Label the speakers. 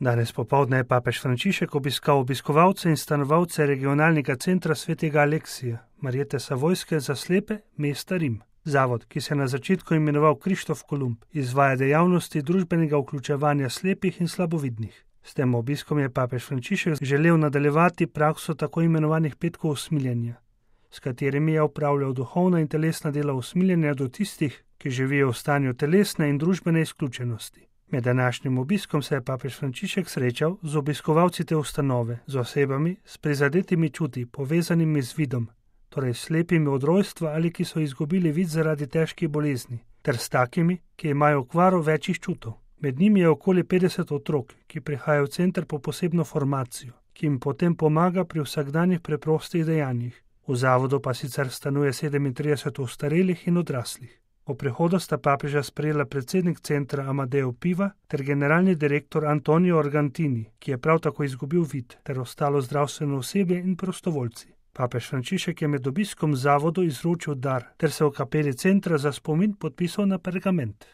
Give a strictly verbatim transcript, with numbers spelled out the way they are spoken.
Speaker 1: Danes popoldne je papež Frančišek obiskal obiskovalce in stanovalce regionalnega centra svetega Aleksija, Marjete Savojske za slepe mesta Rim. Zavod, ki se je na začetku imenoval Krištof Kolumb, izvaja dejavnosti družbenega vključevanja slepih in slabovidnih. S tem obiskom je papež Frančišek želel nadaljevati prakso tako imenovanih petkov usmiljenja, s katerimi je opravljal duhovna in telesna dela usmiljenja do tistih, ki živijo v stanju telesne in družbene izključenosti. Med današnjim obiskom se je papež Frančišek srečal z obiskovalci te ustanove, z osebami s prizadetimi čuti, povezanimi z vidom, torej slepimi od rojstva ali ki so izgubili vid zaradi težkih bolezni, ter s takimi, ki imajo okvaro večjih čutov. Med njimi je okoli petdeset otrok, ki prihajajo v center po posebno formacijo, ki jim potem pomaga pri vsakdanjih preprostih dejanjih. V zavodu pa sicer stanuje sedemintrideset ostarelih in odraslih. Po prihodu sta papeža sprejela predsednik centra Amadeo Piva ter generalni direktor Antonio Argantini, ki je prav tako izgubil vid, ter ostalo zdravstveno osebje in prostovoljci. Papež Frančišek je med obiskom zavodu izročil dar ter se v kapeli centra za spomin podpisal na pergament.